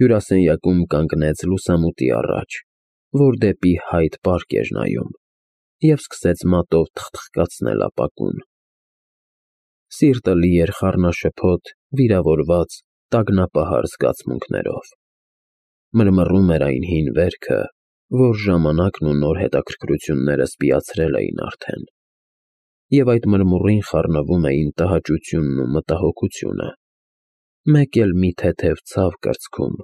Հյուրասենյակում կանգնեց լուսամուտի առաջ, որ դեպի հայտ պարկ էր նայում, և սկսեց մատով թխթխկացնել ապակուն։ Սիրտը լի էր խառնաշփոթ, վիրավորված, տագնապահար զգացմունքներով։ Մրմռում էր այն հին վերքը, որ ժամանակն ու նոր հետաքրքրություններս պիացրել էին արդեն, և այդ մրմուռին խառնվում էին տհաճությունն ու մտահոգությունը, մեկ էլ մի թեթև ցավ կրծքում։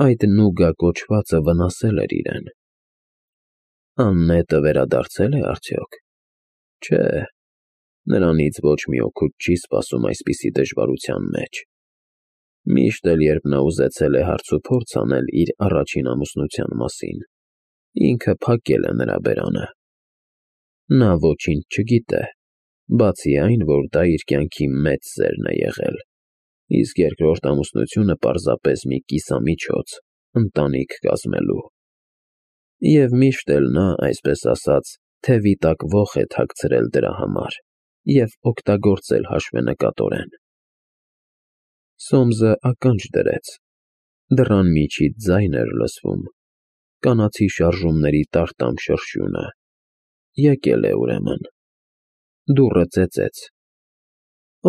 Այդ Նուգա կոչվածը վնասել էր իրեն։ Աննետը վերադարձե՞լ է արդյոք։ Չէ, նրանից ոչ մի օգուտ չի սպասում այսպիսի դժվարության մեջ։ Միշտ էլ, երբ նա ուզեցել է հարցուփորձ անել իր առաջին ամուսնության մասին, ինքը փակել է նրա բերանը։ Նա ոչինչ չգիտե, բացի այն, որ դա իր կյանքի մեծ սերն է եղել, իսկ երկրորդ ամուսնությունը պարզապես մի կիսամիջոց ընտանիք կազմելու։ Եվ միշտ էլ նա, այսպես ասած, թևի տակ ոխ է թաքցրել դրա համար և օգտագործել հաշվենկատորեն։ Սոմսը ականջ դրեց, դռան միջից ձայն էր լսվում, կանացի շարժումների տարտամ շրշյունը։ Եկել է ուրեմն։ Դուռը ծեծեց։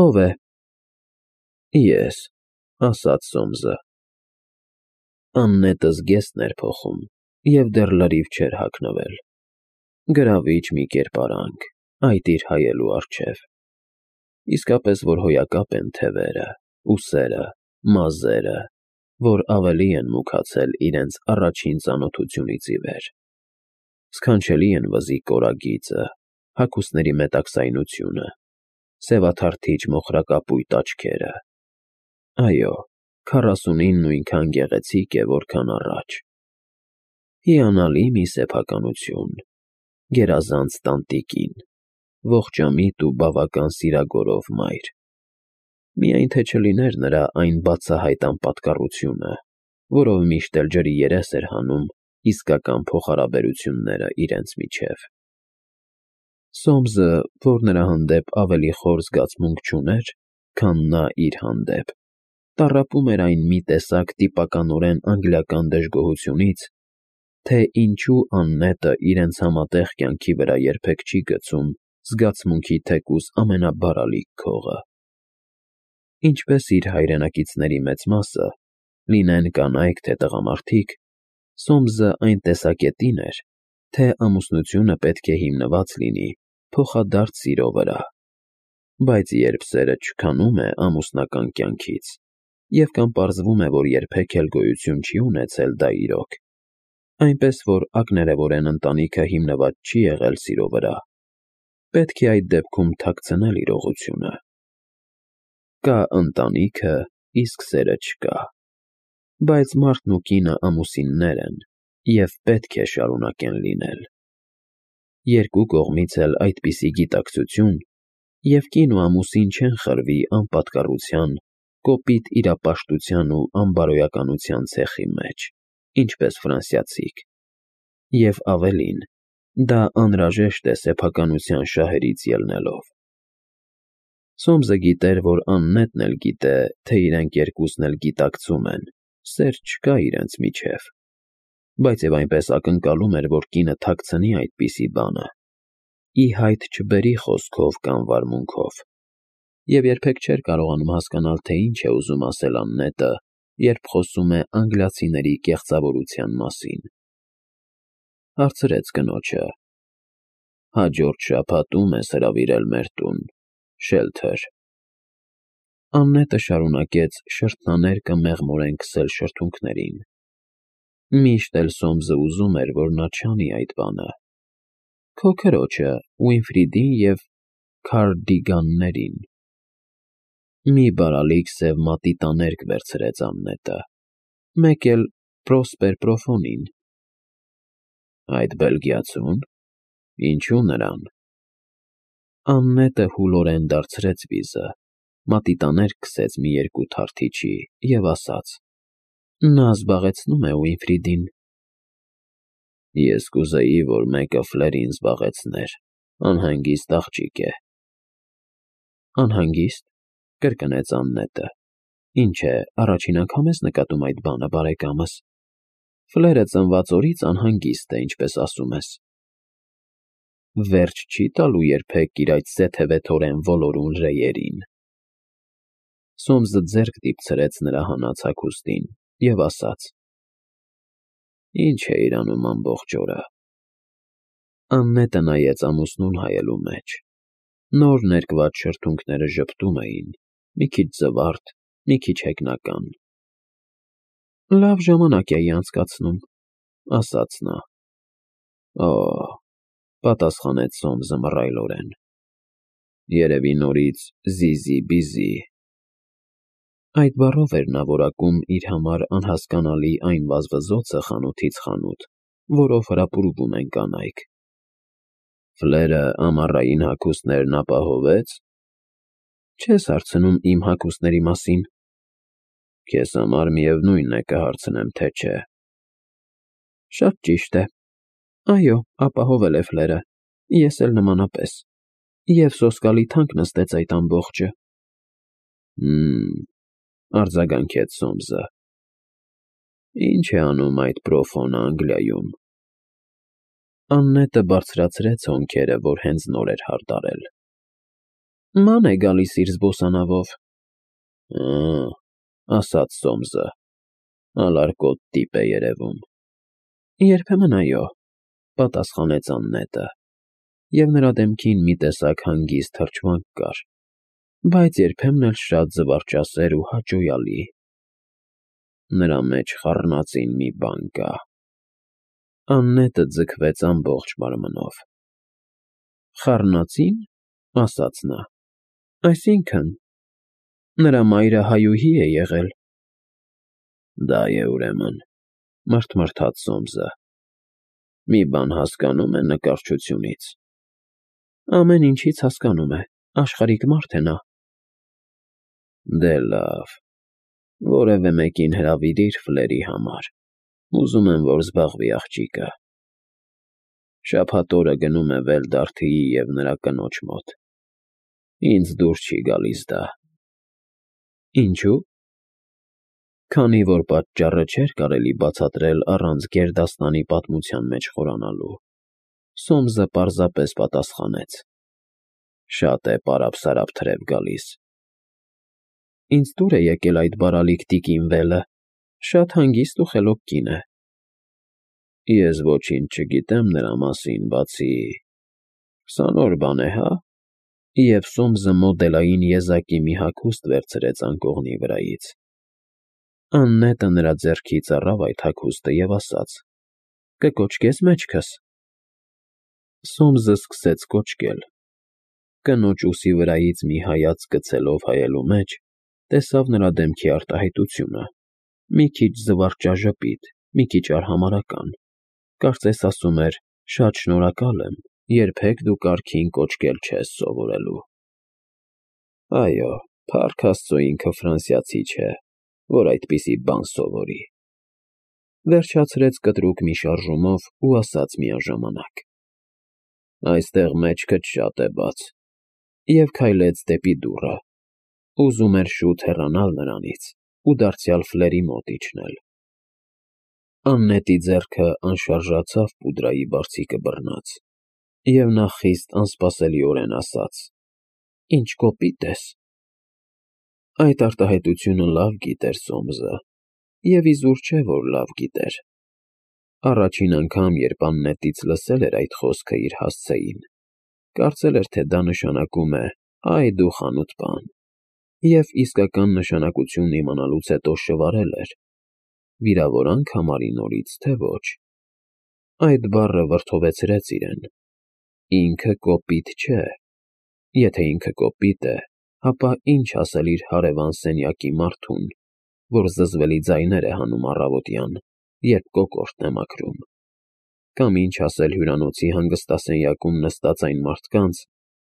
Ո՞վ է։ Ես, ասաց Սոմսը։ Աննետը զգեստն էր փոխում և դեռ լրիվ չէր հագնվել։ Գրավիչ մի կերպարանք, այդ իր հայելու առջև։ Իսկապես որ հոյակապ են թևերը, ուսերը, մազերը, որ ավելի են մուգացել իրենց առաջին ծանոթությունից ի վեր։ Սքանչելի են վզի կորագիծը, հագուստների մետաքսայնությունը, սևաթարթիչ մոխրակապույտ աչքերը։ Այո, 49-ն նույնքան գեղեցիկ է, որքան առաջ։ Հիանալի մի սեփականություն, գերազանց տանտիկին, ողջամիտ ու բավական սիրագորով մայր։ Միայն թե չլիներ նրա այն բացահայտ անպատկառությունը, որով միշտ էլ ջրի երես էր հանում իսկական փոխհարաբերությունները իրենց միջև։ Սոմսը, որ նրա հանդեպ ավելի խոր զգացմունք չուներ, քան նա իր հանդեպ, տառապում էր այն մի տեսակ տիպականորեն անգլիական դժգոհությունից, թե ինչու Աննետը իրենց համատեղ կյանքի վրա երբեք չի գցում զգացմունքի թեկուզ ամենաբարալիկ քողը։ Ինչպես իր հայրենակիցների մեծ մասը, լինեն կանայք թե տղամարդիկ, Սոմսը այն տեսակետին էր, թե ամուսնությունը պետք է հիմնված լինի փոխադարձ սիրո վրա, բայց երբ սերը չքանում է ամուսնական կյանքից, և կամ պարզվում է, որ երբեք էլ գոյություն չի ունեցել դա իրոք, այնպես որ ակներևորեն ընտանիքը հիմնված չի եղել սիրո վրա, պետք է այդ դեպքում թաքցնել իրողությունը։ Կա ընտանիքը, իսկ սերը չկա, բայց մարդն ու կինը ամուսիններ են և պետք է շարունակեն լինել։ Երկու կողմից էլ այդպիսի գիտակցություն, և կին ու ամուսին չեն խրվի անպատկառության, կոպիտ իրապաշտության ու անբարոյականության ցեխի մեջ, ինչպես ֆրանսիացիք, և ավելին, դա անհրաժեշտ է սեփականության շահերից ելնելով։ Սոմսը գիտեր, որ Աննետն էլ գիտե, թե իրենք երկուսն էլ գիտակցում են, սեր չկա իրենց միջև, բայց և այնպես ակնկալում էր, որ կինը թաքցնի այդպիսի բանը, ի հայտ չբերի խոսքով կամ վարմունքով, և երբեք չէր կարողանում հասկանալ, թե ինչ է ուզում ասել Աննետը, երբ խոսում է անգլիացիների կեղծավորության մասին։ Հարցրեց կնոջը. հաջորդ շաբաթում ես հրավիրել մեր տուն, Շելթր։ Աննետը շարունակեց շրթնաներկը մեղմորեն քսել շրթունքներին։ Միշտ էլ Սոմսը ուզում էր, որ նա չանի այդ բանը։ Քո քրոջը, Ուինֆրիդին և Քարդիգաններին։ Մի բարալիկ սև մատիտաներկ վերցրեց Աննետը, մեկ էլ Պրոսպեր Պրոֆոնին։ Այդ բելգիացու՞ն, ինչու նրան։ Աննետը հուլորեն դարձրեց վիզը, մատիտաներկ քսեց մի երկու թարթիչի և ասաց. Նա զբաղեցնում է Ուինֆրիդին։ Ես կուզեի, որ մեկը Ֆլերին զբաղեցներ, անհանգիստ աղջիկ է։ Անհանգիստ, կրկնեց Աննետը, Ինչ է, առաջին անգամ ես նկատում այդ բանը, բարեկամս։ Ֆլերը ծնված օրից անհանգիստ է, ինչպես ասում ես։ Վերջ չի տալու երբեք իր այդ սեթևեթորեն ոլորուն ռեյերին։ Սոմսը ձեռք դիպցրեց նրա հանած հագուստին և ասաց. Ինչ է իրանում ամբողջ օրը։ Աննետը նայեց ամուսնուն հայելու մեջ։ Նոր ներկված շրթունքները ժպտում էին, մի քիչ զվարթ, մի քիչ հեգնական։ Լավ ժամանակ էի անցկացնում, ասաց նա։ Օ, պատասխանեց Սոմսը մռայլորեն։ Երևի նորից զիզի-բիզի։ Այդ բառով էր նա որակում իր համար անհասկանալի այն վազվզոցը խանութից խանութ, որով հրապուրվում են կանայք։ Ֆլերը ամառային հագուստներն ապահովեց։ Չես հարցնում իմ հագուստների մասին։ Քեզ համար միևնույն է կհարցնեմ, թե չէ։ Շատ ճիշտ է։ Այո, ապահովել է Ֆլերը, ես էլ նմանապես։ Եվ սոսկալի թանկ նստեց այդ ամբողջը։ Արձագանքեց Սոմսը։ Ինչ է անում այդ պրոֆոնը Անգլիայում։ Աննետը բարձրացրեց հոնքերը, որ հենց նոր էր հարդարել։ Ման է գալիս իր զբոսանավով։ Ասաց Սոմսը։ Ալարկոտ տիպ է երևում։ Երբեմն այո, պատասխանեց Աննետը, և նրա դեմքին մի տեսակ հանգիստ թրջվանք կար, բայց երբեմն էլ շատ զվարճասեր ու հաճոյալի։ Նրա մեջ խառնածին մի բան կա։ Աննետը ձգվեց ամբողջ մարմնով։ Խառնածի՞ն, ասաց նա։ Այսինքն, նրա մայրը հայուհի է եղել։ Դա է ուրեմն, մրթմրթաց Սոմսը։ Մի բան հասկանում է նկարչությունից։ Ամեն ինչից հասկանում է, աշխարհիկ մարդ է նա։ Դե լավ, որևէ մեկին հրավիրիր Ֆլերի համար։ Ուզում եմ, որ զբաղվի աղջիկը։ Շաբաթ օրը գնում է Վելդարթիի և նրա կնոջ մոտ։ Ինձ դուր չի գալիս դա։ Ինչու՞։ Քանի որ պատճառը չէր կարելի բացատրել առանց գերդաստանի պատմության մեջ խորանալու։ Սոմսը պարզապես պատասխանեց. Շատ է պարապ-սարապ թրև գալիս։ Ինձ դուր է եկել այդ բարալիկ տիկին Վելը, շատ հանգիստ ու խելոք կին է։ Ես ոչինչ չգիտեմ նրա մասին, բացի… 20 օր բան է, հա։ Եվ Սոմսը մոդելային եզակի մի հագուստ վերցրեց անկողնի վրայից։ Աննետը նրա ձեռքից առավ այդ հագուստը և ասաց. Կկոչկես մեջքս։ Սոմսը սկսեց կոչկել։ Կնոջ ուսի վրայից մի հայացք գցելով հայելու մեջ, տեսավ նրա դեմքի արտահայտությունը, մի քիչ զվարճաժպիտ, մի քիչ արհամարհական, կարծես ասում էր. շատ շնորհակալ եմ, երբեք դու կարգին կոչկել չես սովորելու։ Այո, փառք Աստծո, ինքը ֆրանսիացի չէ, որ այդպիսի բան սովորի։ Վերջացրեց կտրուկ մի շարժումով ու ասաց միաժամանակ. Այստեղ մեջքդ շատ է բաց, և քայլեց դեպի դուռը։ Ուզում էր շուտ հեռանալ նրանից ու դարձյալ Ֆլերի մոտ իջնել։ Աննետի ձեռքը անշարժացավ պուդրայի բարձիկը բռնած, և նա խիստ անսպասելիորեն ասաց. Ինչ կոպիտ ես։ Այդ արտահայտությունը լավ գիտեր Սոմսը, և իզուր չէ, որ լավ գիտեր։ Առաջին անգամ, երբ Աննետից լսել էր այդ խոսքը իր հասցեին, կարծել էր, թե դա նշանակում է. «Այ դու խանութ բան», և իսկական նշանակությունն իմանալուց հետո շվարել էր. վիրավորանք համարի նորից, թե ոչ։ Այդ բառը վրդովեցրեց իրեն։ Ինքը կոպիտ չէ։ Եթե ինքը կոպիտ է, ապա ինչ ասել իր հարևան սենյակի մարդուն, որ զզվելի ձայներ է հանում առավոտյան, երբ կոկորդն է մաքրում։ Կամ ինչ ասել հյուրանոցի հանգստասենյակում նստած այն մարդկանց,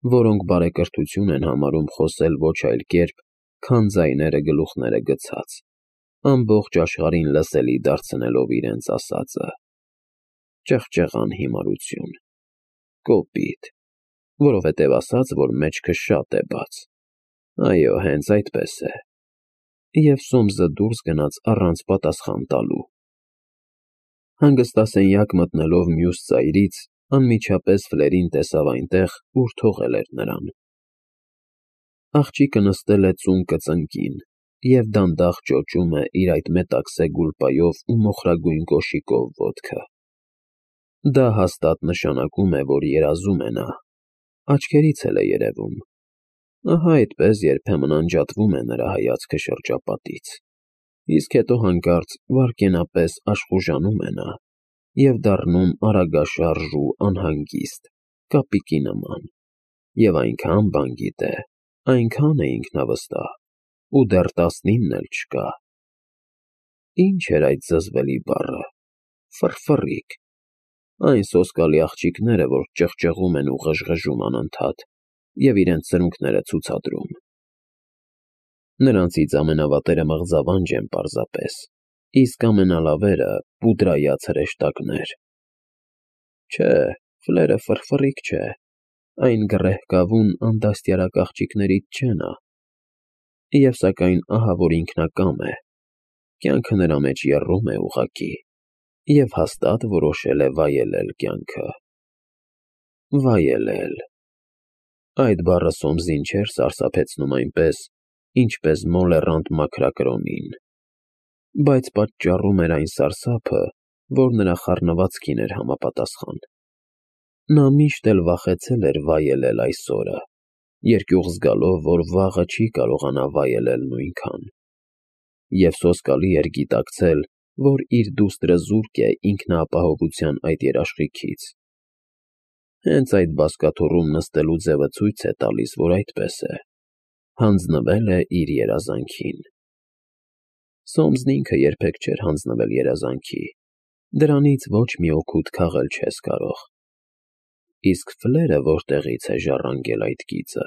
որոնք բարեկրթություն են համարում խոսել ոչ այլ կերպ, քան ձայները գլուխները գցած, ամբողջ աշխարհին լսելի դարձնելով իրենց ասածը։ Ճղճղան հիմարություն։ Կոպիտ, որովհետև ասաց, որ մեջքը շատ է բաց։ Այո, հենց այդպես է։ և Սոմսը դուրս գնաց առանց պատասխան տալու։ Հանգստասենյակ մտնելով մյուս ծայրից, անմիջապես Ֆլերին տեսավ այնտեղ, ուր թողել էր նրան։ Աղջիկը նստել է ծուն կծնկին և դանդաղ ճոճում է իր այդ մետաքսե գուլպայով ու մոխրագույն կոշիկով ոտքը։ Դա հաստատ նշանակում է, որ երազում է նա, աչքերից էլ է երևում։ Ահա այդպես երբեմն անջատվում է նրա հայացքը շրջապատից, իսկ հետո հանկարծ վայրկենապես աշխուժանում է նա և դառնում արագաշարժ ու անհանգիստ, կապիկի նման, և այնքան բան գիտե, այնքան է ինքնավստահ, ու դեռ 19 էլ չկա։ Ի՞նչ էր այդ զզվելի բառը, ֆռֆռիկ, այն սոսկալի աղջիկները, որ ճղճղում են ու ղժղժում անընդհատ և իրենց սրունքները ցուցադրում։ Նրանցից ամենավատերը մղձավանջ են պարզապես, իսկ ամենալավերը պուդրայած հրեշտակներ։ Չէ, Ֆլերը ֆռֆռիկ չէ, այն գռեհկավունանդաստիարակ աղջիկներից չէ նա։ Եվ սակայն ահա որ ինքնակամ է, կյանքը նրա մեջ եռում է ուղղակի, և հաստատ որոշել է վայելել կյանքը։ Վայելել… Այդ բառը Սոմսին չէր սարսափեցնում այնպես, ինչպես մոլեռանդ մաքրակրոնին, բայց պատճառում էր այն սարսափը, որ նրա խառնվածքին էր համապատասխան։ Նա միշտ էլ վախեցել էր վայելել այս օրը, երկյուղ զգալով, որ վաղը չի կարողանա վայելել նույնքան։ Եվ սոսկալի էր գիտակցել, որ իր դուստրը զուրկ է ինքնաապահովության այդ երաշխիքից։ Հենց այդ բազկաթոռում նստելու ձևը ցույց է տալիս, որ այդպես է, հանձնվել է իր երազանքին։ Սոմսն ինքը երբեք չէր հանձնվել երազանքի, դրանից ոչ մի օգուտ քաղել չես կարող։ Իսկ Ֆլերը որտեղի՞ց է ժառանգել այդ գիծը։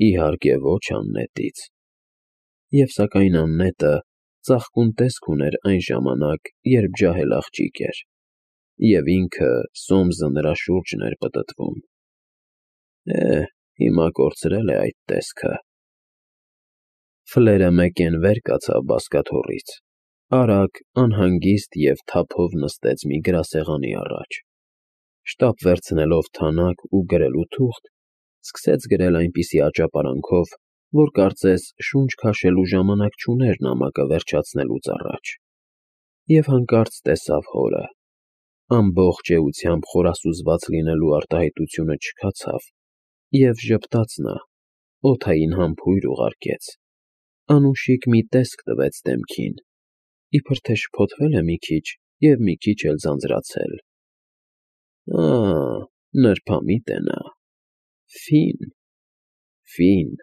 Իհարկե ոչ Աննետից։ Եվ սակայն Աննետը ծաղկուն տեսք ուներ այն ժամանակ, երբ ջահել աղջիկ էր, և ինքը՝ Սոմսը նրա շուրջն էր պտտվում։ Հիմա կորցրել է այդ տեսքը։ Ֆլերը մեկեն վեր կացավ բազկաթոռից, արագ, անհանգիստ և թափով նստեց մի գրասեղանի առաջ։ Շտապ վերցնելով թանակ ու գրելու թուղթ, սկսեց գրել այնպիսի աճապարանքով, որ կարծես շունչ քաշելու ժամանակ չուներ նամակը վերջացնելուց առաջ։ Եվ հանկարծ տեսավ հորը։ Ամբողջ էությամբ խորասուզված լինելու արտահայտությունը չքացավ, և ժպտաց նա, օդային համբույր ուղարկեց, անուշիկ մի տեսք տվեց դեմքին, իբր թե շփոթվել է մի քիչ և մի քիչ էլ ձանձրացել։ Նրբամիտ է նա, ֆին, ֆին։